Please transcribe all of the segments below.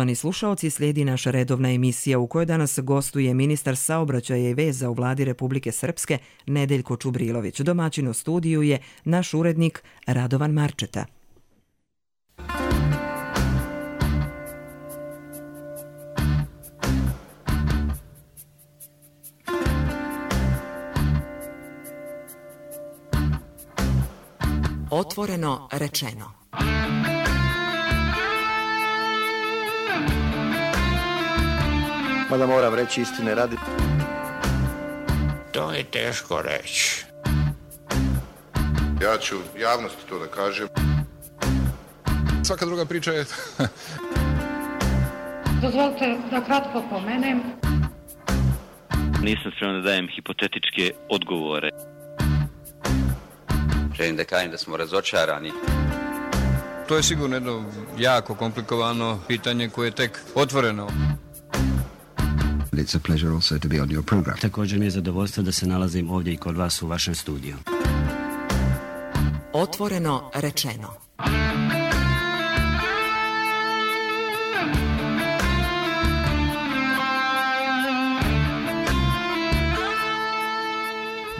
Poštovani slušaoci, slijedi naša redovna emisija u kojoj danas gostuje ministar saobraćaja i veza u vladi Republike Srpske Nedeljko Čubrilović. Domaćin u studiju je naš urednik Radovan Marčeta. Otvoreno rečeno. Mada moram reći istine radi. To je teško reći. Ja ću javnosti to da kažem. Svaka druga priča je... Dozvolite da kratko pomenem. Nisam spreman da dajem hipotetičke odgovore. Želim da kažem da smo razočarani. To je sigurno jedno jako komplikovano pitanje koje je tek otvoreno. It's a pleasure also to be on your program. Također mi je zadovoljstvo da se nalazim ovdje i kod vas u vašem studiju. Otvoreno rečeno.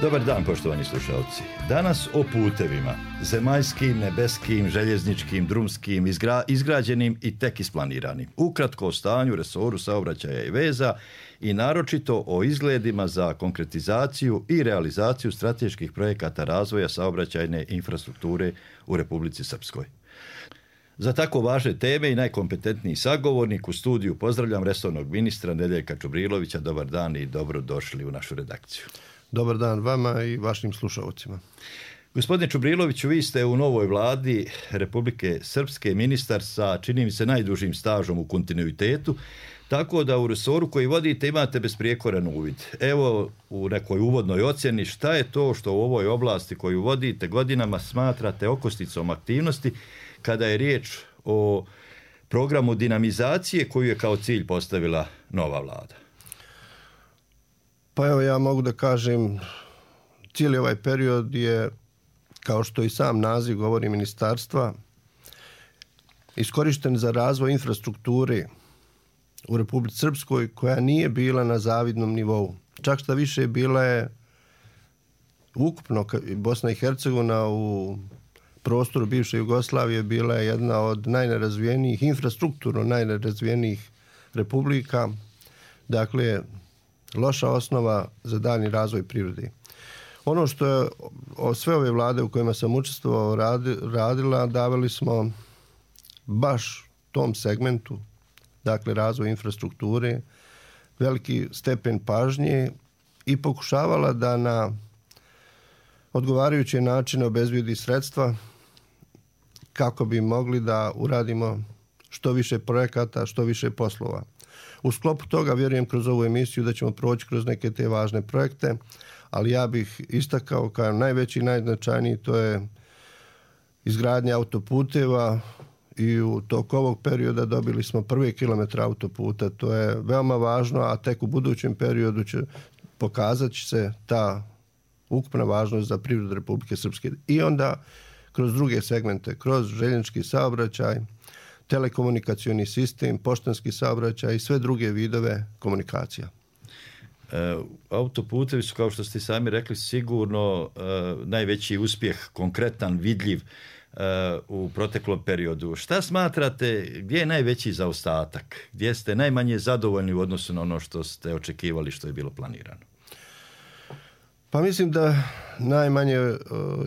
Dobar dan, poštovani slušalci. Danas o putevima, zemaljskim, nebeskim, željezničkim, drumskim, izgrađenim i tek isplaniranim. Ukratko o stanju, resoru saobraćaja i veza i naročito o izgledima za konkretizaciju i realizaciju strateških projekata razvoja saobraćajne infrastrukture u Republici Srpskoj. Za tako važne teme i najkompetentniji sagovornik u studiju pozdravljam resornog ministra Nedeljka Čubrilovića. Dobar dan i dobrodošli u našu redakciju. Dobar dan vama i vašim slušalcima. Gospodine Čubriloviću, vi ste u novoj vladi Republike Srpske ministar sa, čini mi se, najdužim stažom u kontinuitetu, tako da u resoru koji vodite imate besprijekoran uvid. Evo, u nekoj uvodnoj ocjeni, šta je to što u ovoj oblasti koju vodite godinama smatrate okosnicom aktivnosti kada je riječ o programu dinamizacije koju je kao cilj postavila nova vlada? Pa evo, ja mogu da kažem, cijeli ovaj period je, kao što i sam naziv govori ministarstva, iskorišten za razvoj infrastrukture u Republici Srpskoj koja nije bila na zavidnom nivou. Čak šta više, bila je ukupno Bosna i Hercegovina u prostoru bivše Jugoslavije bila je jedna od najnerazvijenijih, infrastrukturno najnerazvijenijih republika. Dakle, loša osnova za daljnji razvoj prirode. Ono što je sve ove vlade u kojima sam učestvovao radila, davali smo baš tom segmentu, dakle razvoj infrastrukture, veliki stepen pažnje i pokušavala da na odgovarajuće načine obezbijedi sredstva kako bi mogli da uradimo što više projekata, što više poslova. U sklopu toga vjerujem kroz ovu emisiju da ćemo proći kroz neke te važne projekte, ali ja bih istakao kao najveći i najznačajniji, to je izgradnja autoputeva i u toku ovog perioda dobili smo prvi kilometar autoputa. To je veoma važno, a tek u budućem periodu će pokazat će se ta ukupna važnost za privredu Republike Srpske. I onda kroz druge segmente, kroz željeznički saobraćaj, telekomunikacioni sistem, poštanski saobraćaj i sve druge vidove komunikacija. Autoputevi su, kao što ste sami rekli, sigurno najveći uspjeh, konkretan, vidljiv u proteklom periodu. Šta smatrate, gdje je najveći zaostatak? Gdje ste najmanje zadovoljni u odnosu na ono što ste očekivali, što je bilo planirano? Pa mislim da najmanje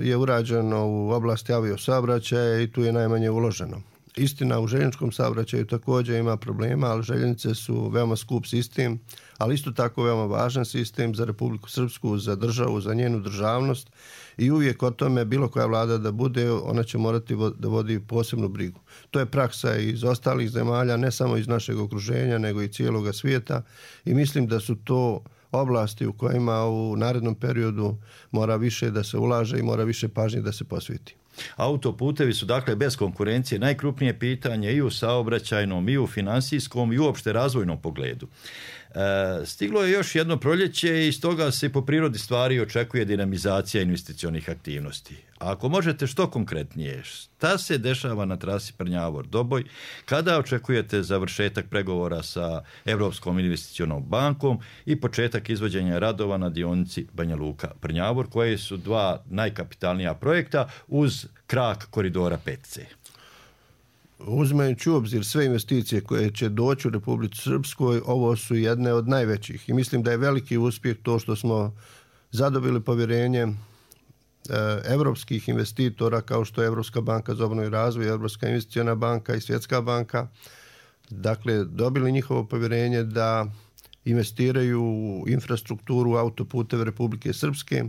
je urađeno u oblasti aviosaobraćaja i tu je najmanje uloženo. Istina, u željezničkom saobraćaju također ima problema, ali željeznice su veoma skup sistem, ali isto tako veoma važan sistem za Republiku Srpsku, za državu, za njenu državnost i uvijek o tome bilo koja vlada da bude, ona će morati da vodi posebnu brigu. To je praksa iz ostalih zemalja, ne samo iz našeg okruženja, nego i cijeloga svijeta i mislim da su to oblasti u kojima u narednom periodu mora više da se ulaže i mora više pažnje da se posveti. Autoputevi su dakle bez konkurencije najkrupnije pitanje i u saobraćajnom, i u financijskom, i uopšte razvojnom pogledu. Stiglo je još jedno proljeće i stoga se po prirodi stvari očekuje dinamizacija investicionih aktivnosti. A ako možete što konkretnije, šta se dešava na trasi Prnjavor-Doboj, kada očekujete završetak pregovora sa Europskom investicionom bankom i početak izvođenja radova na dionici Banja Luka-Prnjavor, koje su dva najkapitalnija projekta uz krak koridora 5C? Uzimajući u obzir sve investicije koje će doći u Republici Srpskoj, ovo su jedne od najvećih i mislim da je veliki uspjeh to što smo zadobili povjerenje evropskih investitora kao što je Evropska banka za obnovu i razvoj, Evropska investiciona banka i Svjetska banka. Dakle, dobili njihovo povjerenje da investiraju u infrastrukturu autoputeve Republike Srpske,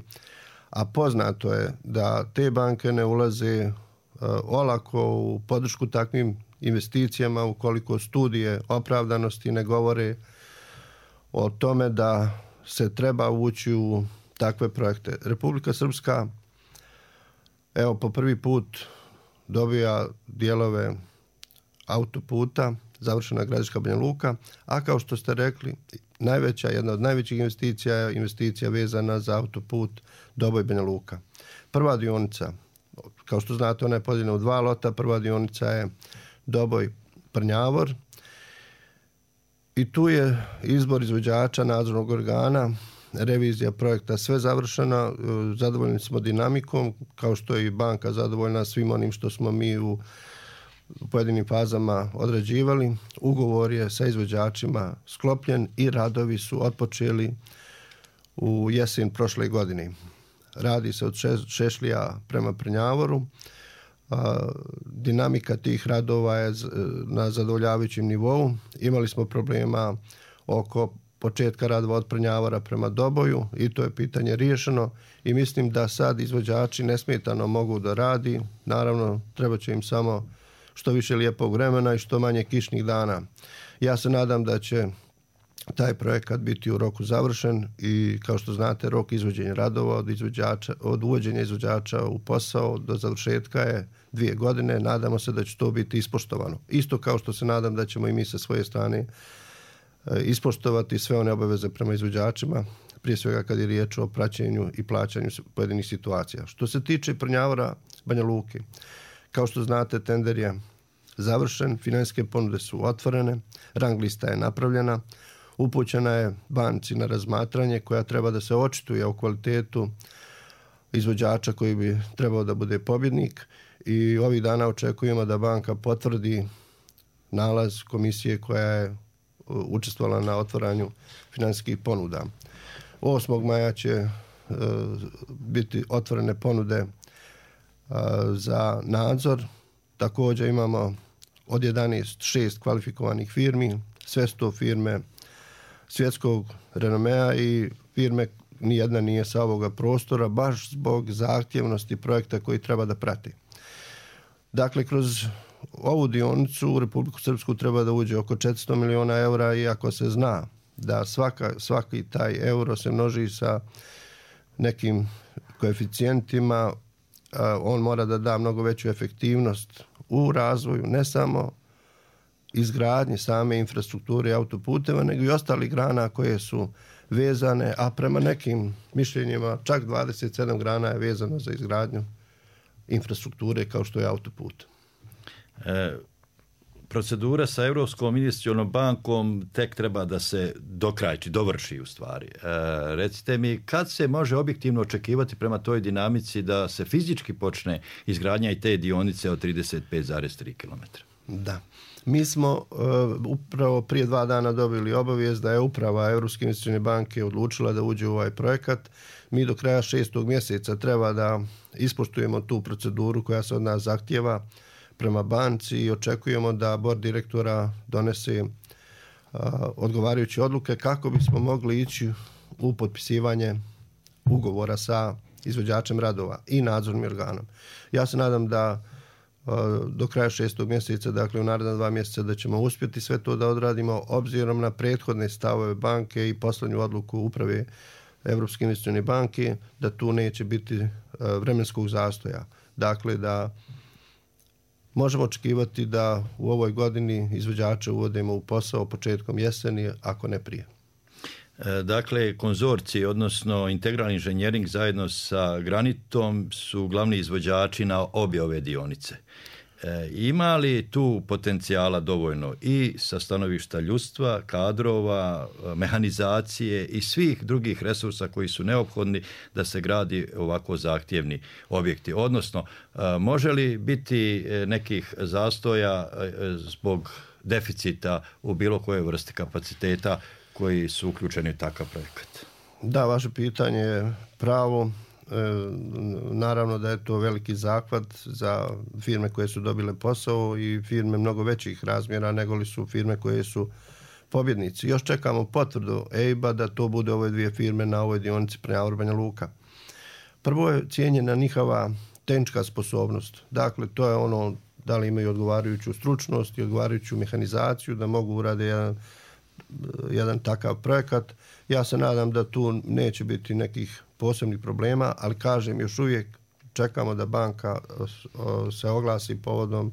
a poznato je da te banke ne ulaze olako u podršku takvim investicijama ukoliko studije opravdanosti ne govore o tome da se treba ući u takve projekte. Republika Srpska evo po prvi put dobija dijelove autoputa, završena Gradiška Banja Luka, a kao što ste rekli, jedna od najvećih investicija je investicija vezana za autoput Doboj Banja Luka. Prva dionica, kao što znate, ona je podijeljena u dva lota. Prva dionica je Doboj Prnjavor i tu je izbor izvođača, nadzornog organa, revizija projekta sve završena. Zadovoljni smo dinamikom, kao što je i banka zadovoljna svim onim što smo mi u pojedinim fazama odrađivali. Ugovor je sa izvođačima sklopljen i radovi su otpočeli u jesen prošle godine. Radi se od Šešlija prema Prnjavoru. Dinamika tih radova je na zadovoljavajućem nivou. Imali smo problema oko početka radova od Prnjavora prema Doboju i to je pitanje riješeno i mislim da sad izvođači nesmetano mogu da radi. Naravno, treba će im samo što više lijepog vremena i što manje kišnih dana. Ja se nadam da će taj projekat biti u roku završen i kao što znate rok izvođenja radova od uvođenja izvođača u posao do završetka je 2 godine. Nadamo se da će to biti ispoštovano. Isto kao što se nadam da ćemo i mi sa svoje strane ispoštovati sve one obaveze prema izvođačima, prije svega kad je riječ o praćenju i plaćanju pojedinih situacija. Što se tiče Prnjavora Banja Luke, kao što znate tender je završen, financijske ponude su otvorene, rang lista je napravljena, upućena je banci na razmatranje koja treba da se očituje o kvalitetu izvođača koji bi trebao da bude pobjednik i ovih dana očekujemo da banka potvrdi nalaz komisije koja je učestvovala na otvaranju financijskih ponuda. 8. maja će biti otvorene ponude za nadzor. Također imamo od 6 kvalifikovanih firmi, sve su to firme svjetskog renomea i firme nijedna nije sa ovoga prostora baš zbog zahtjevnosti projekta koji treba da prati. Dakle, kroz ovu dionicu u Republiku Srpsku treba da uđe oko 400 miliona eura, iako se zna da svaki taj euro se množi sa nekim koeficijentima, on mora da da mnogo veću efektivnost u razvoju, ne samo izgradnji same infrastrukture autoputeva, nego i ostalih grana koje su vezane, a prema nekim mišljenjima čak 27 grana je vezano za izgradnju infrastrukture kao što je autoput. Procedura sa Europskom investicionom bankom tek treba da se dovrši u stvari. Recite mi, kad se može objektivno očekivati prema toj dinamici da se fizički počne izgradnja i te dionice od 35,3 km? Da. Mi smo upravo prije 2 dana dobili obavijest da je uprava Europske investicione banke odlučila da uđe u ovaj projekat. Mi do kraja 6. mjeseca treba da ispoštujemo tu proceduru koja se od nas zahtjeva prema banci i očekujemo da bord direktora donese odgovarajuće odluke kako bismo mogli ići u potpisivanje ugovora sa izvođačem radova i nadzornim organom. Ja se nadam da do kraja 6. mjeseca, dakle u naredna 2 mjeseca, da ćemo uspjeti sve to da odradimo obzirom na prethodne stavove banke i poslednju odluku uprave Europske investicione banke, da tu neće biti vremenskog zastoja. dakle da možemo očekivati da u ovoj godini izvođače uvodimo u posao početkom jeseni, ako ne prije. Dakle, konzorcij, odnosno integralni inženjering zajedno sa Granitom su glavni izvođači na obje ove dionice. Ima li tu potencijala dovoljno i sa stanovišta ljudstva, kadrova, mehanizacije i svih drugih resursa koji su neophodni da se gradi ovako zahtjevni objekti? Odnosno, može li biti nekih zastoja zbog deficita u bilo kojoj vrsti kapaciteta koji su uključeni u takav projekat? Da, vaše pitanje je pravo. Naravno da je to veliki zahvat za firme koje su dobile posao i firme mnogo većih razmjera nego li su firme koje su pobjednici. Još čekamo potvrdu EIB-a da to bude ove dvije firme na ovoj dionici prema Banja Luka. Prvo je cijenjena njihova tehnička sposobnost. Dakle, to je ono da li imaju odgovarajuću stručnost i odgovarajuću mehanizaciju da mogu uraditi jedan takav projekat. Ja se nadam da tu neće biti nekih posebnih problema, ali kažem, još uvijek čekamo da banka se oglasi povodom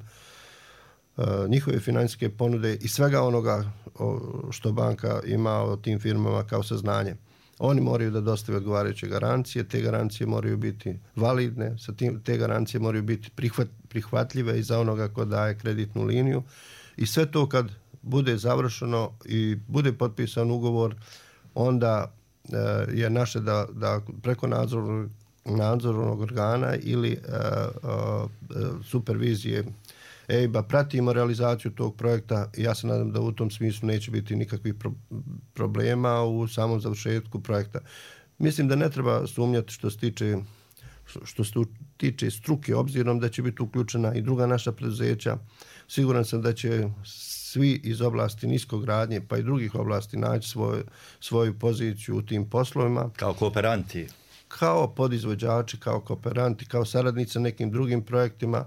njihove financijske ponude i svega onoga što banka ima o tim firmama kao saznanje. Oni moraju da dostave odgovarajuće garancije, te garancije moraju biti validne, te garancije moraju biti prihvatljive i za onoga ko daje kreditnu liniju i sve to kad bude završeno i bude potpisan ugovor, onda je naše da preko nadzornog organa ili supervizije EIB-a pratimo realizaciju tog projekta i ja se nadam da u tom smislu neće biti nikakvih problema u samom završetku projekta. Mislim da ne treba sumnjati što se tiče struke, obzirom da će biti uključena i druga naša preduzeća. Siguran sam da će svi iz oblasti niskogradnje pa i drugih oblasti naći svoju poziciju u tim poslovima. Kao kooperanti? Kao podizvođači, kao kooperanti, kao saradnici nekim drugim projektima.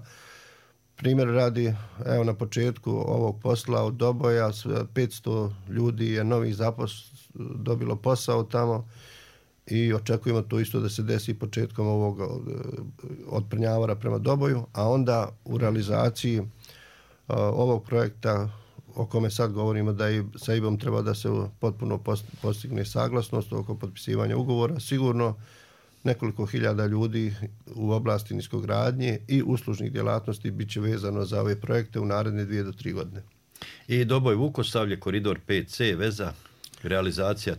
Primjer radi, evo na početku ovog posla od Doboja, 500 ljudi je novih dobilo posao tamo i očekujemo to isto da se desi početkom ovog od Prnjavora prema Doboju, a onda u realizaciji ovog projekta o kome sad govorimo da i sa EIB-om treba da se potpuno postigne saglasnost oko potpisivanja ugovora, sigurno nekoliko hiljada ljudi u oblasti niskogradnje i uslužnih djelatnosti bit će vezano za ove projekte u naredne 2 do 3 godine. I Doboj Vukosavlje, koridor 5C, veza, realizacija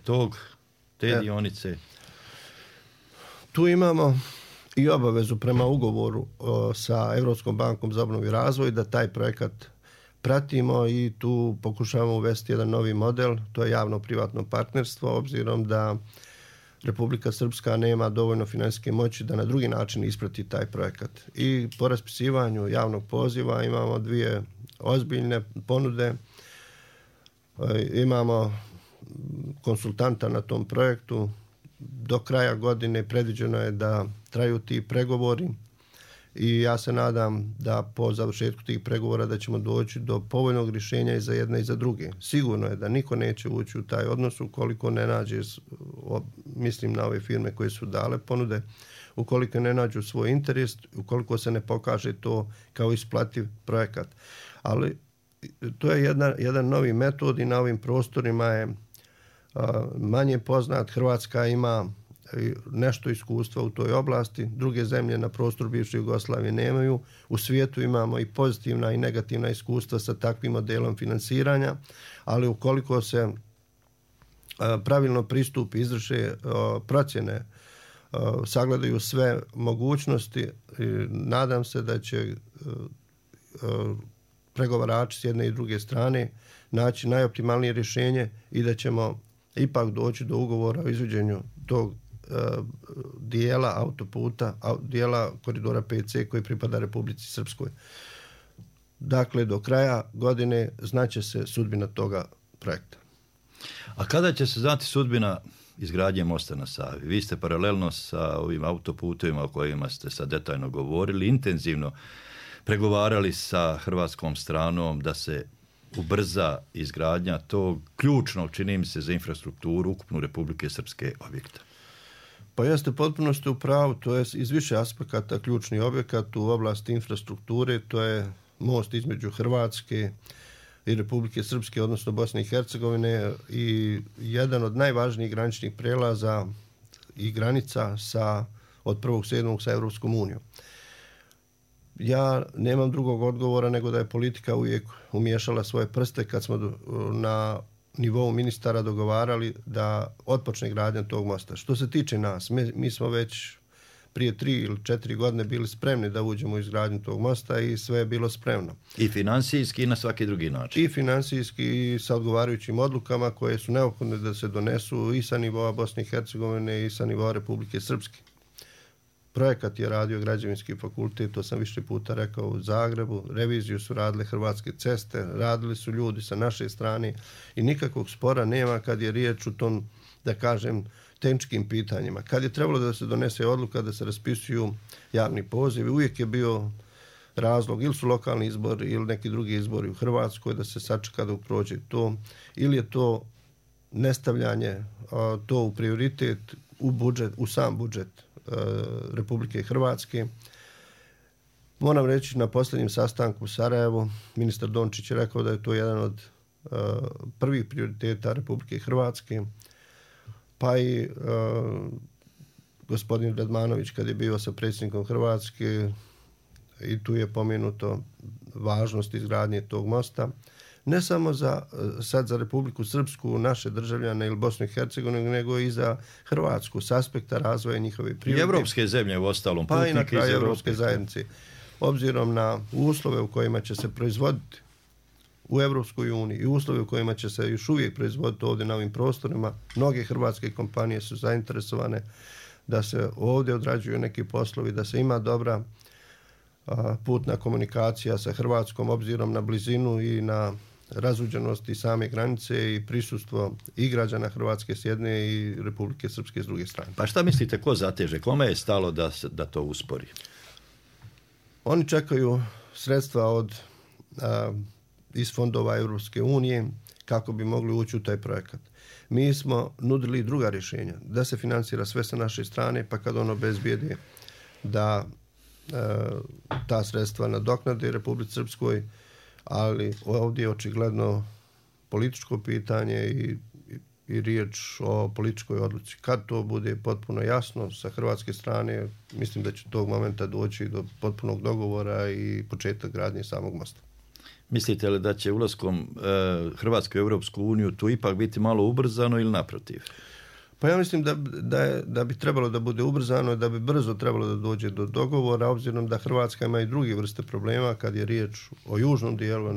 te dionice? Tu imamo i obavezu prema ugovoru sa Europskom bankom za obnovu i razvoj da taj projekat pratimo i tu pokušavamo uvesti jedan novi model, to je javno-privatno partnerstvo, obzirom da Republika Srpska nema dovoljno financijske moći da na drugi način isprati taj projekat. I po raspisivanju javnog poziva imamo 2 ozbiljne ponude, imamo konsultanta na tom projektu, do kraja godine predviđeno je da traju ti pregovori i ja se nadam da po završetku tih pregovora da ćemo doći do povoljnog rješenja i za jedne i za druge. Sigurno je da niko neće ući u taj odnos ukoliko ne nađe, mislim na ove firme koje su dale ponude, ukoliko ne nađu svoj interes, ukoliko se ne pokaže to kao isplativ projekat. Ali to je jedan novi metod i na ovim prostorima je manje poznat. Hrvatska ima nešto iskustva u toj oblasti, druge zemlje na prostoru bivše Jugoslavije nemaju. U svijetu imamo i pozitivna i negativna iskustva sa takvim modelom finansiranja, ali ukoliko se pravilno pristupi, izvrše procjene, sagledaju sve mogućnosti, nadam se da će pregovarači s jedne i druge strane naći najoptimalnije rješenje i da ćemo ipak doći do ugovora o izvođenju tog dijela autoputa, dijela koridora 5C koji pripada Republici Srpskoj. Dakle, do kraja godine znaće se sudbina toga projekta. A kada će se znati sudbina izgradnje mosta na Savi? Vi ste paralelno sa ovim autoputovima o kojima ste sad detaljno govorili, intenzivno pregovarali sa hrvatskom stranom da se ubrza izgradnja tog ključnog, čini mi se, za infrastrukturu ukupnu Republike Srpske objekta. Pa jeste potpuno ste u pravu, to je iz više aspekata ključni objekat u oblasti infrastrukture, to je most između Hrvatske i Republike Srpske, odnosno Bosne i Hercegovine, i jedan od najvažnijih graničnih prelaza i granica od 1.7. sa Evropskom unijom. Ja nemam drugog odgovora nego da je politika uvijek umiješala svoje prste kad smo na nivou ministara dogovarali da otpočne gradnja tog mosta. Što se tiče nas, mi smo već prije 3 ili 4 godine bili spremni da uđemo u izgradnju tog mosta i sve je bilo spremno. I finansijski i na svaki drugi način. I finansijski i sa odgovarajućim odlukama koje su neophodne da se donesu i sa nivoa Bosne i Hercegovine i sa nivoa Republike Srpske. Projekat je radio Građevinski fakultet, to sam više puta rekao, u Zagrebu. Reviziju su radile Hrvatske ceste, radili su ljudi sa naše strane i nikakvog spora nema kad je riječ o tom, da kažem, tehničkim pitanjima. Kad je trebalo da se donese odluka da se raspisuju javni pozivi, uvijek je bio razlog ili su lokalni izbori ili neki drugi izbori u Hrvatskoj da se sačeka da prođe to, ili je to nestavljanje to u prioritet u budžet, u sam budžet Republike Hrvatske. Moram reći, na posljednjem sastanku u Sarajevu ministar Dončić je rekao da je to jedan od prvih prioriteta Republike Hrvatske, pa i gospodin Radmanović kad je bio sa predsjednikom Hrvatske i tu je pomenuto važnost izgradnje tog mosta. Ne samo sad za Republiku Srpsku, naše državljane ili Bosnu i Hercegovinu, nego i za Hrvatsku s aspekta razvoja njihove privrede. I evropske zemlje u ostalom. Pa i na kraju evropske zajednice. Obzirom na uslove u kojima će se proizvoditi u Evropskoj uniji i uslove u kojima će se još uvijek proizvoditi ovdje na ovim prostorima, mnoge hrvatske kompanije su zainteresovane da se ovdje odrađuju neki poslovi, da se ima dobra putna komunikacija sa Hrvatskom obzirom na blizinu i na razuđenosti same granice i prisustvo i građana Hrvatske s jedne i Republike Srpske s druge strane. Pa šta mislite, ko zateže? Kome je stalo da to uspori? Oni čekaju sredstva iz fondova Europske unije kako bi mogli ući u taj projekat. Mi smo nudili druga rješenja, da se financira sve sa naše strane, pa kad ono bezbjede da ta sredstva nadoknade Republici Srpskoj, ali ovdje je očigledno političko pitanje i riječ o političkoj odluci. Kad to bude potpuno jasno sa hrvatske strane, mislim da će tog momenta doći do potpunog dogovora i početak gradnje samog mosta. Mislite li da će ulaskom Hrvatske u Europsku uniju tu ipak biti malo ubrzano ili naprotiv? Pa ja mislim da bi trebalo da bude ubrzano, da bi brzo trebalo da dođe do dogovora, obzirom da Hrvatska ima i druge vrste problema kad je riječ o južnom dijelu,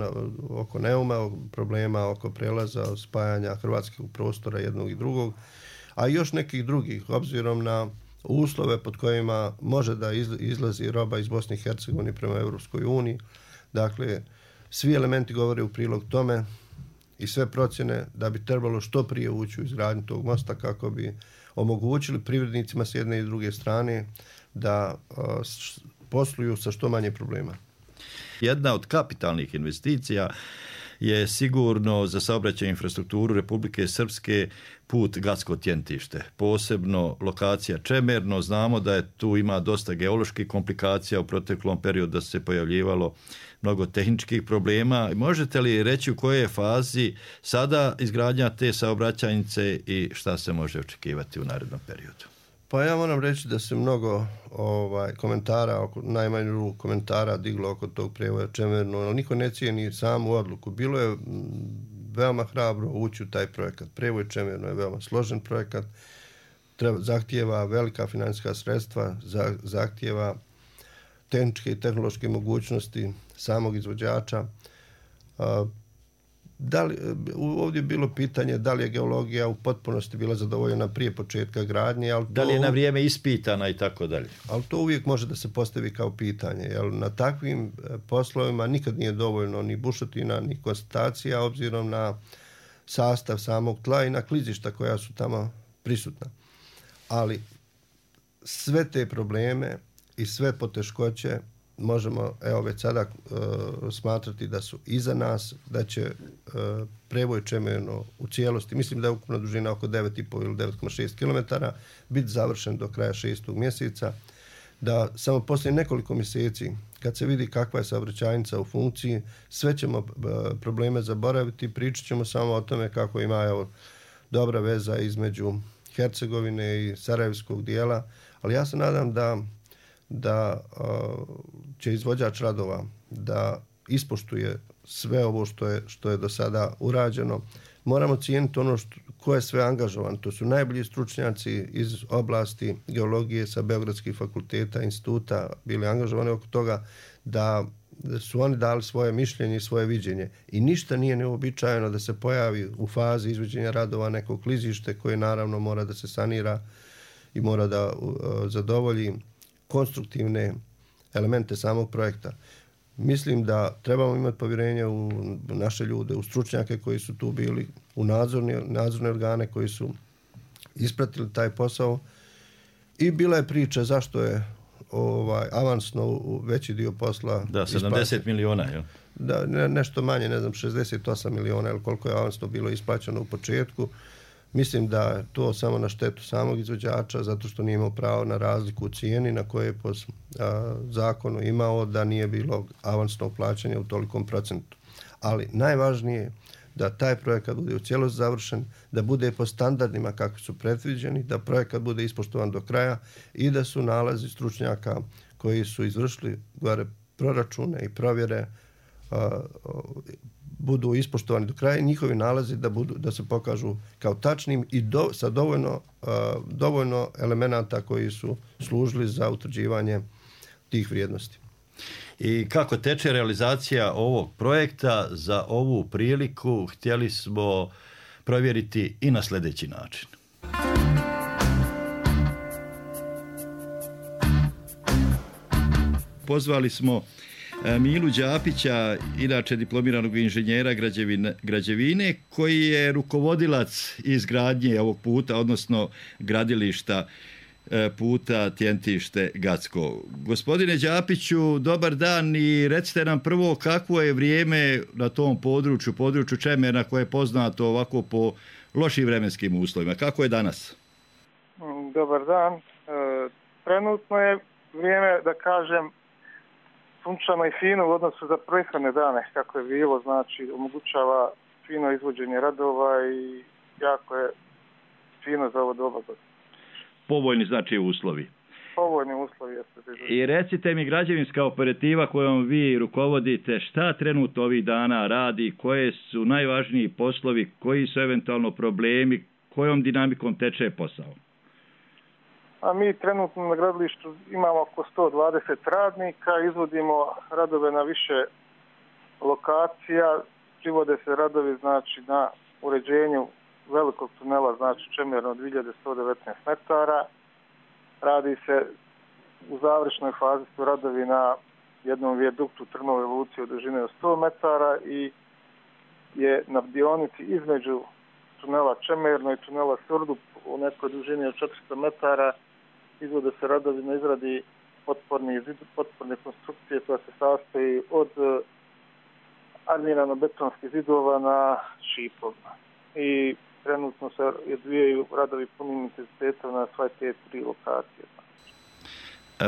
oko Neuma, problema oko prelaza, spajanja hrvatskog prostora jednog i drugog, a i još nekih drugih, obzirom na uslove pod kojima može da izlazi roba iz Bosne i Hercegovine prema Europskoj uniji. Dakle, svi elementi govore u prilog tome i sve procjene da bi trebalo što prije ući u izgradnju tog mosta kako bi omogućili privrednicima s jedne i druge strane da posluju sa što manje problema. Jedna od kapitalnih investicija je sigurno za saobraćaj infrastrukturu Republike Srpske put Gacko-Tjentište. Posebno lokacija Čemerno. Znamo da je tu ima dosta geoloških komplikacija u proteklom periodu, da se pojavljivalo mnogo tehničkih problema. Možete li reći u kojoj je fazi sada izgradnja te saobraćajnice i šta se može očekivati u narednom periodu? Pa ja moram reći da se mnogo komentara, najmanju komentara diglo oko tog prijevoja Čemerno, ali niko ne cijeni samu odluku. Bilo je veoma hrabro ući u taj projekat. Prijevoj Čemerno je veoma složen projekat, zahtijeva velika financijska sredstva, zahtijeva tehničke i tehnološke mogućnosti samog izvođača. Ovdje je bilo pitanje da li je geologija u potpunosti bila zadovoljena prije početka gradnje. Da li je na vrijeme ispitana i tako dalje. Ali to uvijek može da se postavi kao pitanje. Jer na takvim poslovima nikad nije dovoljno ni bušotina, ni konstatacija, obzirom na sastav samog tla i na klizišta koja su tamo prisutna. Ali sve te probleme i sve poteškoće možemo već sada smatrati da su iza nas, da će prevoj Čemerno u cijelosti, mislim da je ukupna dužina oko 9,5 ili 9,6 km, biti završen do kraja 6. mjeseca, da samo poslije nekoliko mjeseci, kad se vidi kakva je saobraćajnica u funkciji, sve ćemo probleme zaboraviti, pričat ćemo samo o tome kako ima dobra veza između Hercegovine i Sarajevskog dijela, ali ja se nadam da će izvođač radova da ispoštuje sve ovo što je do sada urađeno. Moramo cijeniti ono ko je sve angažovan. To su najbolji stručnjaci iz oblasti geologije sa Beogradskih fakulteta, instituta bili angažovani oko toga, da su oni dali svoje mišljenje i svoje viđenje. I ništa nije neuobičajeno da se pojavi u fazi izvođenja radova neko klizište koje naravno mora da se sanira i mora da zadovolji konstruktivne elemente samog projekta. Mislim da trebamo imati povjerenje u naše ljude, u stručnjake koji su tu bili, u nadzorne organe koji su ispratili taj posao. I bila je priča zašto je avansno veći dio posla. Da, 70 miliona, jel? Da, nešto manje, ne znam, 68 miliona, ili koliko je avansno bilo isplaćeno u početku. Mislim da je to samo na štetu samog izvođača, zato što nije imao pravo na razliku u cijeni na koje je po zakonu imao, da nije bilo avansnog plaćanja u tolikom procentu. Ali najvažnije je da taj projekat bude u cijelosti završen, da bude po standardima kakvi su predviđeni, da projekat bude ispoštovan do kraja i da su nalazi stručnjaka koji su izvršili proračune i provjere budu ispoštovani do kraja i njihovi nalazi da se pokažu kao tačnim i sa dovoljno elemenata koji su služili za utvrđivanje tih vrijednosti. I kako teče realizacija ovog projekta? Za ovu priliku htjeli smo provjeriti i na sljedeći način. Pozvali smo Milu Đapića, inače diplomiranog inženjera građevine, koji je rukovodilac izgradnje ovog puta, odnosno gradilišta puta Tjentište-Gacko. Gospodine Đapiću, dobar dan i recite nam prvo kakvo je vrijeme na tom području Čemerna koje je poznato ovako po lošim vremenskim uslovima. Kako je danas? Dobar dan. Trenutno je vrijeme, da kažem, sunčano i fino u odnosu za prethodne dane, kako je bilo, znači omogućava fino izvođenje radova i jako je fino za ovo doba. Povoljni znači uslovi. Povoljni uslovi jeste. I recite mi, građevinska operativa kojom vi rukovodite, šta trenutno ovih dana radi, koje su najvažniji poslovi, koji su eventualno problemi, kojom dinamikom teče posao? A mi trenutno na gradilištu imamo oko 120 radnika, izvodimo radove na više lokacija, privode se radovi znači na uređenju velikog tunela, znači Čemerno 2119 metara. Radi se u završnoj fazi su radovi na jednom vijaduktu Trnove Luci od dužine od 100 metara i je na dionici između tunela Čemerno i tunela Surdup u nekoj dužini od 400 metara izvode se radovi na izradi potporne konstrukcije koja se sastoji od armirano-betonskih zidova na šipovima. I trenutno se odvijaju radovi punim intenzitetom na sve te 3 lokacije.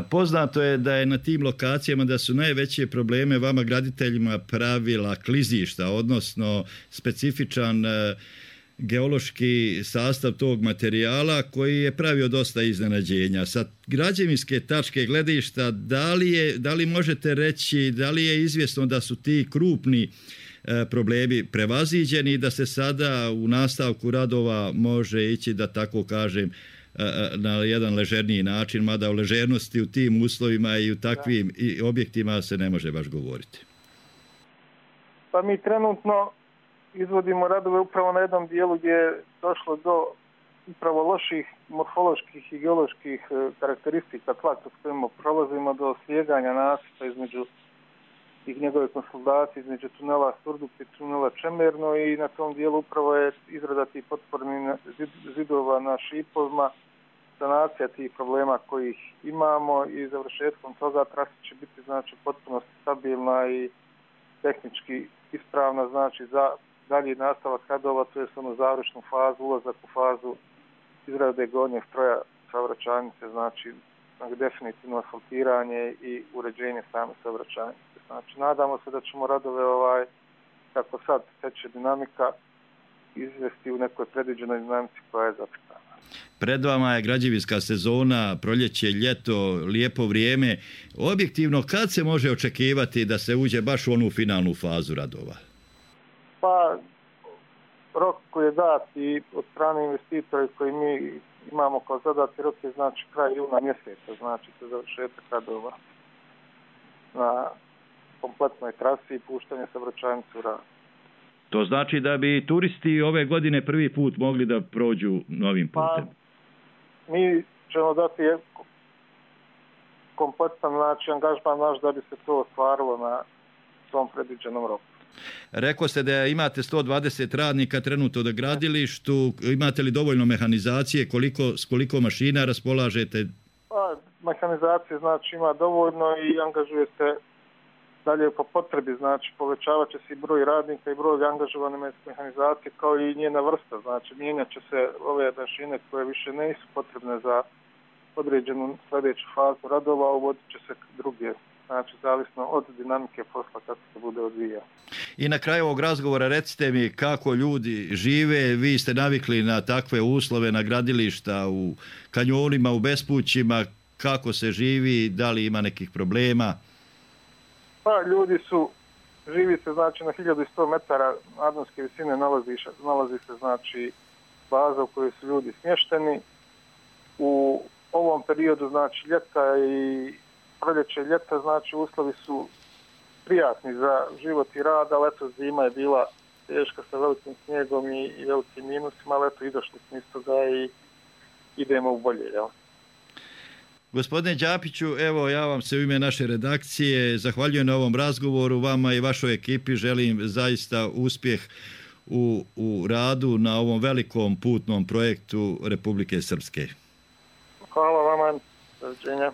Poznato je da je na tim lokacijama da su najveće probleme vama graditeljima pravila klizišta, odnosno specifičan geološki sastav tog materijala koji je pravio dosta iznenađenja. Sa građevinske tačke gledišta, da li možete reći, da li je izvjesno da su ti krupni problemi prevaziđeni i da se sada u nastavku radova može ići, da tako kažem, na jedan ležerniji način, mada o ležernosti u tim uslovima i u takvim objektima se ne može baš govoriti? Pa mi trenutno izvodimo radove upravo na jednom dijelu gdje je došlo do upravo loših morfoloških i geoloških karakteristika tla s kojima prolazimo, do slijeganja nasipa između i njegove konsolidacije između tunela Surdup i tunela Čemerno i na tom dijelu upravo je izrada tih potpornih zidova na šipovima sanacija tih problema kojih imamo i završetkom toga trasa će biti znači potpuno stabilna i tehnički ispravna, znači za dalji nastavak radova, to je onu završnu fazu, ulazak u fazu izrade gornjeg stroja saobraćajnice, znači definitivno asfaltiranje i uređenje same saobraćajnice. Znači nadamo se da ćemo radove kako sad teče dinamika izvesti u nekoj predviđenoj dinamici koja je zacrtana. Pred vama je građevinska sezona, proljeće, ljeto, lijepo vrijeme. Objektivno, kad se može očekivati da se uđe baš u onu finalnu fazu radova? Pa, rok koji je dat i od strane investitora koji mi imamo kao zadati rok je znači kraj juna mjeseca, znači se završetak radova na kompletnoj trasi i puštanje saobraćajnice u rad. To znači da bi turisti ove godine prvi put mogli da prođu novim putem? Pa, mi ćemo dati kompletan znači angažman naš da bi se to ostvarilo na tom predviđenom roku. Rekao ste da imate 120 radnika trenutno na gradilištu, imate li dovoljno mehanizacije, s koliko mašina raspolažete? Pa, mehanizacije znači ima dovoljno i angažuje se dalje po potrebi, znači povećavat će se i broj radnika i broj angažovane mehanizacije kao i njena vrsta, znači mijenjat će se ove mašine koje više nisu potrebne za određenu sljedeću fazu radova, uvodit će se druge, znači zavisno od dinamike posla kako se bude odvijao. I na kraju ovog razgovora recite mi kako ljudi žive, vi ste navikli na takve uslove, na gradilišta u kanjonima, u bespućima, kako se živi, da li ima nekih problema? Pa ljudi živi se znači na 1100 metara nadmorske visine nalazi se znači baza u kojoj su ljudi smješteni. U ovom periodu znači ljeta i proljeće ljeta znači uslovi su prijatni za život i rad, ali eto zima je bila teška sa velikim snijegom i velikim minusima, ali eto i došli smo iz toga i idemo u bolje, jel? Gospodine Đapiću, evo ja vam se u ime naše redakcije zahvaljujem na ovom razgovoru, vama i vašoj ekipi želim zaista uspjeh u radu na ovom velikom putnom projektu Republike Srpske. Hvala vama, doviđenja.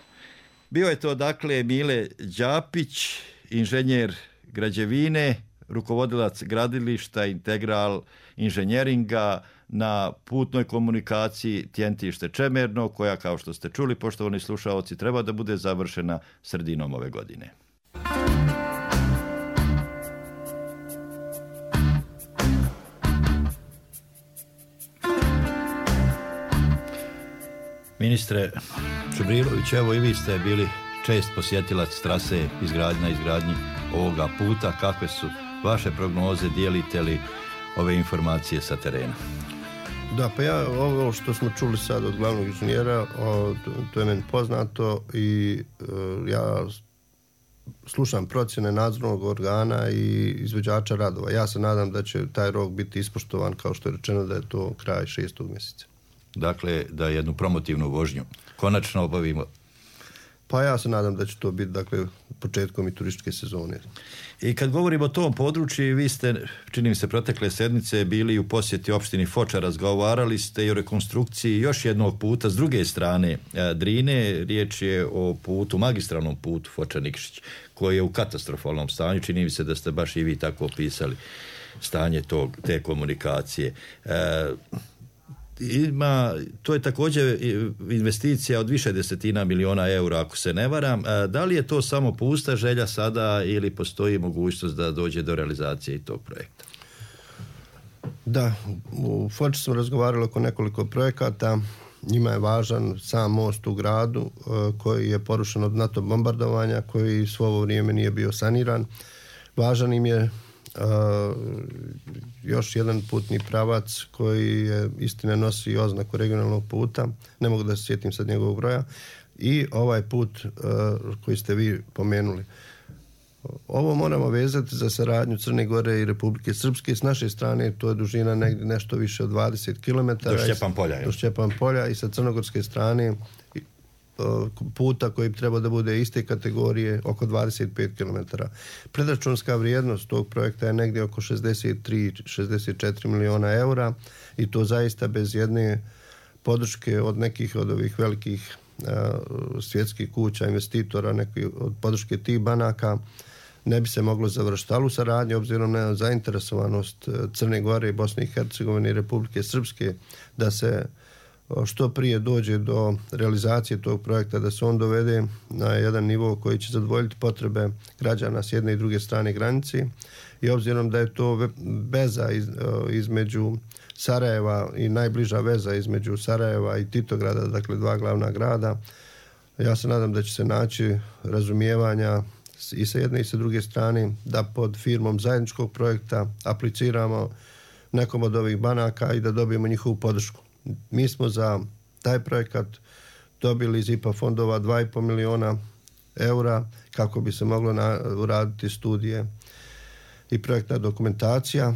Bio je to dakle Mile Đapić, inženjer građevine, rukovodilac gradilišta Integral inženjeringa na putnoj komunikaciji Tjentište Čemerno, koja kao što ste čuli, poštovani slušaoci, treba da bude završena sredinom ove godine. Ministre Čubrilović, evo i vi ste bili čest posjetilac trase izgradnji ovoga puta. Kakve su vaše prognoze, dijelite li ove informacije sa terena? Da, pa ja ovo što smo čuli sad od glavnog inženjera, to je meni poznato i ja slušam procjene nadzornog organa i izvođača radova. Ja se nadam da će taj rok biti ispoštovan kao što je rečeno da je to kraj 6. mjeseca. Dakle, da jednu promotivnu vožnju konačno obavimo. Pa ja se nadam da će to biti početkom i turističke sezone. I kad govorimo o tom području, vi ste, čini mi se, protekle sedmice bili u posjeti opštini Foča, razgovarali ste i o rekonstrukciji još jednog puta s druge strane Drine. Riječ je o putu, magistralnom putu Foča-Nikšić, koji je u katastrofalnom stanju. Čini mi se da ste baš i vi tako opisali stanje te komunikacije. To je također investicija od više desetina miliona eura, ako se ne varam. Da li je to samo pusta želja sada ili postoji mogućnost da dođe do realizacije i tog projekta? Da, u Foči smo razgovarali oko nekoliko projekata. Njima je važan sam most u gradu koji je porušen od NATO bombardovanja, koji svo ovo vrijeme nije bio saniran. Važan im je još jedan putni pravac koji je, istina, nosi oznaku regionalnog puta, ne mogu da se sjetim sad njegovog broja, i ovaj put koji ste vi pomenuli. Ovo moramo vezati za saradnju Crne Gore i Republike Srpske. S naše strane to je dužina negdje nešto više od 20 km. Do Šćepan polja i sa crnogorske strane puta koji treba da bude iste kategorije oko 25 km. Predračunska vrijednost tog projekta je negdje oko 63-64 miliona eura i to zaista bez jedne podrške od nekih od ovih velikih svjetskih kuća, investitora, neki od podrške tih banaka ne bi se moglo završiti. Ali u saradnji, obzirom na zainteresovanost Crne Gore, Bosne i Hercegovine i Republike Srpske, da se što prije dođe do realizacije tog projekta, da se on dovede na jedan nivo koji će zadovoljiti potrebe građana s jedne i druge strane granice. I obzirom da je to veza između Sarajeva i najbliža veza između Sarajeva i Titograda, dakle dva glavna grada, ja se nadam da će se naći razumijevanja i sa jedne i sa druge strane da pod firmom zajedničkog projekta apliciramo nekom od ovih banaka i da dobijemo njihovu podršku. Mi smo za taj projekat dobili iz IPA fondova 2,5 miliona eura kako bi se moglo uraditi studije i projektna dokumentacija